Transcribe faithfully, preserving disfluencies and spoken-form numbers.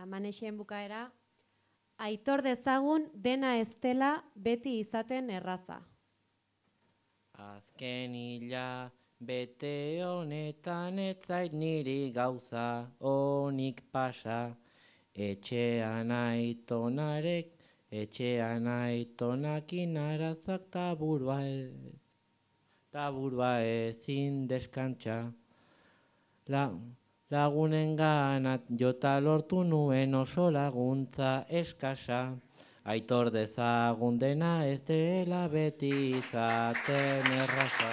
Manexen bukaera, aitor dezagun dena ez dela beti izaten erraza. Azken hila bete honetan ez zait niri gauza onik pasa. Etxean aitonarek, etxean aitonakin arazak taburua ez, taburua ezin deskantza. La, lagunen ganat jota lortu nuen oso laguntza eskasa. Aitor dezagun dena ez dela beti izaten erraza.